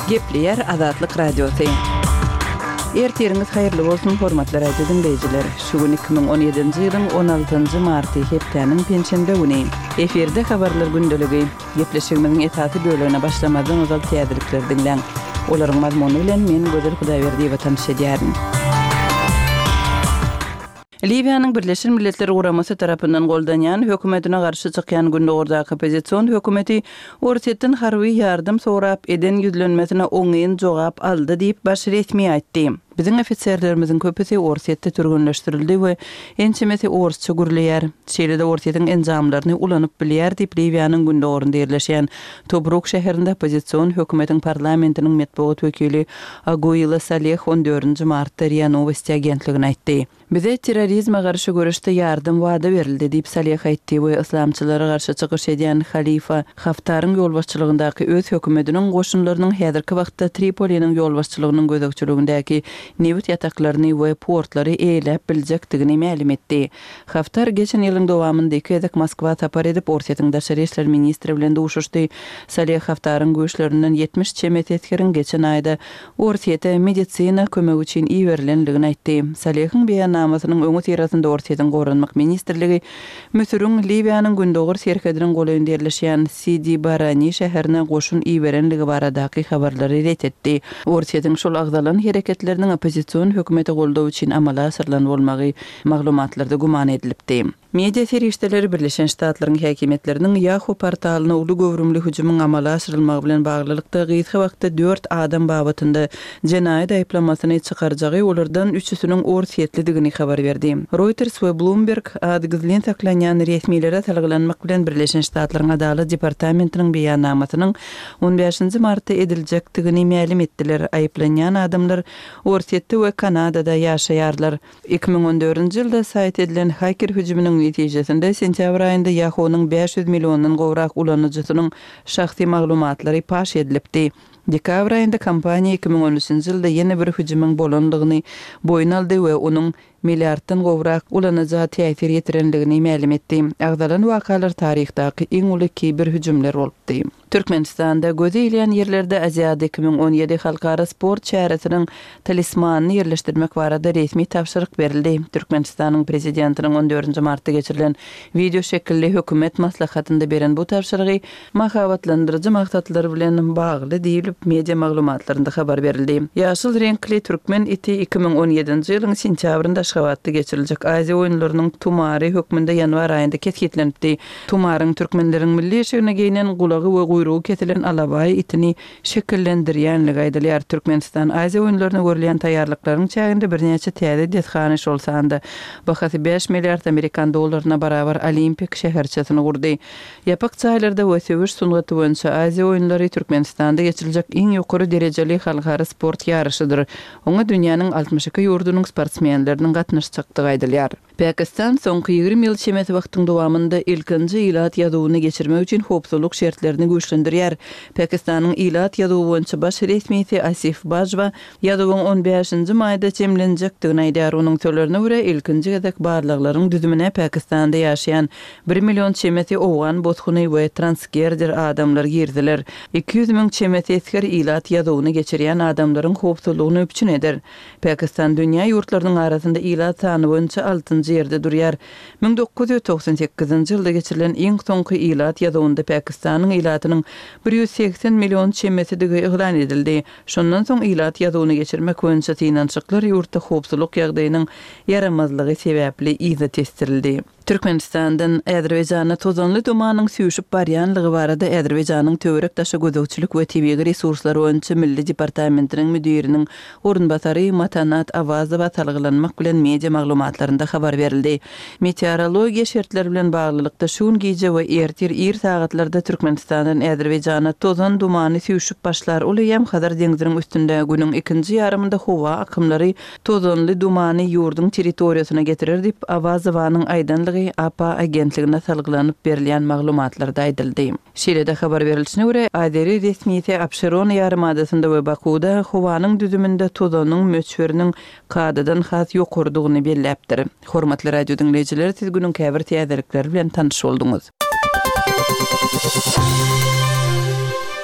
Gepleýär Azatlyk Radiosy. Ertiriňiz haýyrly bolsun, hormatly radio diňleýjiler! Şu gün 2017-nji ýylyň 16-njy marty, hepdäniň penşenbe güni. Efirde Habarlar gündeligi. Gepleşigimiziň esasy bölegine başlamazdan ozal täzelikleri diňläň. Olaryň mazmuny bilen men Gözel Hudaýberdiýewa tanyş edýärin. Liwiýanyň Birleşen Milletler Guramasy tarapyndan goldanýan hökümetine garşy çykýan gündogardaky oppozision hökümeti Orsýetden harby ýardam sorap eden ýüzlenmesine oňyn jogap aldy diýip, baş resmi aýtdy. Biziň ofiserlerimiziň köpüsi Orsýetde türgenleşdirildi we ençemesi orsça gürleýär. Şeýle-de Orsýetiň enjamlaryny ulanyp bilýär diýip, Liwiýanyň gündogarynda ýerleşýän Tobruk şäherinde oppozision hökümetiň parlamentiniň metbugat wekili Aguila Saleh on dördünji martda Ria Nowosti agentligine aýtdy. Bize terrorizme garşy göreşde ýardam wada berildi, diýip, Saleh aýtdy we yslamçylara garşy çykyş edýän Halifa Haftaryň ýolbaşçylygyndaky öz hökümetiniň goşunlarynyň häzirki wagtda Tripoliniň ýolbaşçylygynyň gözegçiligindäki nebit ýataklaryny we portlary eýeläp biljekdigini mälim etdi. Haftar geçen ýylyň dowamynda iki gezek Moskwa sapar edip, Orsýetiň daşary işler ministri bilen duşuşdy. Saleh Haftaryň güýçlerinden 70 çemesi esgeriň geçen aýda Orsýete medisina kömegi üçin iberilendigini aýtdy. Salehiň beýannamasynyň öňüsyrasynda Orsýetiň Goranmak ministrligi Müsüriň Liwiýanyň gündogar serhediniň golaýynda ýerleşýän Sidi Barani şäherine goşun iberenligi baradaky habarlary ret etdi. Orsýetiň şol agzalan hereketleriniň oppozision hökümete goldaw üçin amala aşyrylan bolmagy maglumatlarda güman edilipdi. Media serişdeleri Birleşen Ştatlaryň häkimiýetleriniň Yahoo portalyna uly göwrümli hüjümiň amala aşyrylmagy bilen baglylykda gysga wagtda dört adam babatynda jenaýat aýyplamasyny çykarjagy, olardan üçüsiniň orsýetlidigini habar berdi. Reuters we Bloomberg ady gizlin saklanýan resmilere salgylanmak bilen Birleşen Ştatlaryň Adalat departamentiniň beýannamasynyň on bäşinji martda ediljekdigini mälim etdiler. Aýyplanýan adamlar Orsýetde we Kanadada ýaşaýarlar. 2014-nji ýylda saýt edilen haker hüjüminiň netijesinde sentýabr aýynda Yahoo-nyň 500 milliondan gowrak ulanyjysynyň şahsy maglumatlary paş edilipdi. Dekabr aýynda kompaniýa 2013-nji ýylda ýene bir hüjümiň bolandygyny boýun aldy we onuň milliarddan gowrak ulanyja täsir ýetirendigini mälim etdi. Agzalan wakalar taryhdaky iň uly kiber hüjümler bolupdy. Türkmenistanda göze ilýän ýerlerde Aziada 2017 halkara sport çäresiniň talismanyny ýerleşdirmek barada resmi tabşyryk berildi. Türkmenistanyň Prezidentiniň on dördünji martda geçirilen wideoşekilli hökümet maslahatynda beren bu tabşyrygy mahabatlandyryjy maksatlar bilen bagly diýlip, media maglumatlarynda habar berildi. Ýaşyl reňkli türkmen iti 2017-nji ýylyň sentýabrynda Aşgabatda geçiriljek Aziýa oýunlarynyň tumary hökmünde ýanwar aýynda kesgitlenipdi. Tumaryň türkmenleriň milli eşigine geýnen, gulagy we guýrugy kesilen alabaý itini şekillendirýänligi aýdylýar. Türkmenistan Aziýa oýunlaryna görülýän taýýarlyklaryň çäginde birnäçe täze desgany, şol sanda bahasy bäş milliard amerikan dollaryna barabar Olimpik şäherçesini gurdy. Ýapyk jaýlarda we söweş sungaty boýunça Aziýa oýunlary Türkmenistanda geçiriljek iň ýokary derejeli halkara sport ýaryşydyr. Oňa dünýäniň 62 ýurdunyň sportsmenleriniň gatnaşjakdygy aýdylýar. Pakistan soňky 20 ýyl çemesi wagtyň dowamynda ilkinji ilat ýazuwyny geçirmek üçin howpsuzlyk şertlerini güýçlendirýär. Pakistanyň ilat ýazuwy boýunça baş resmisi Asif Bajwa ýazuwyň on bäşinji maýda jemlenjekdigini aýdýar. Onuň sözlerine görä, ilkinji gezek barlaglaryň düzümine Pakistanda ýaşaýan bir million çemesi owgan bosguny we transgerder adamlar girdiler. 200 müň çemesi esger ilat ýazuwyny geçirýän adamlaryň howpsuzlygyny üpjün eder. Pakistan dünýä ýurtlarynyň arasynda ilat sany boýunça altynjy ýerde durýar. 1998-nji ýylda geçirilen iň soňky ilat ýazuwynda Pakistanyň ilatynyň 180 million çemesidigi yglan edildi. Şondan soň ilat ýazuwyny geçirmek boýunça synanyşyklar ýurtda howpsuzlyk ýagdaýynyň ýaramazlygy sebäpli yza tesdirildi. Türkmenistandan Azerbaýjana tozanly dumanyň süýşüp barýanlygy barada Azerbaýjanyň Töwerek-daşa gözegçilik we tebigy resurslar boýunça milli departamentiniň müdiriniň orunbasary Matanat Awazowa salgylanmak bilen media maglumatlarynda habar berildi. Meteorologiýa şertleri bilen baglylykda şu gün gije we ertir ir sagatlarda Türkmenistandan Azerbaýjana tozan dumany süýşüp başlar, ol eýýäm Hazar deňziniň üstünde günüň ikinji ýarymynda howa akymlary tozanly dumany ýurduň territoriýasyna getirer diýip, Awazowanyň aýdanlygy APA agentligine salgylanyp berilýän maglumatlarda aýdyldy. Şeýle-de habar berilişine görä, azeri resmisi Abşeron ýarymadasynda we Bakuwda howanyň düzüminde tozanyň möçberiniň kadadan has ýokarydygyny belläpdir. Hormatly radio diňleýjiler, siz günüň käbir täzelikleri bilen tanyş bolduňyz.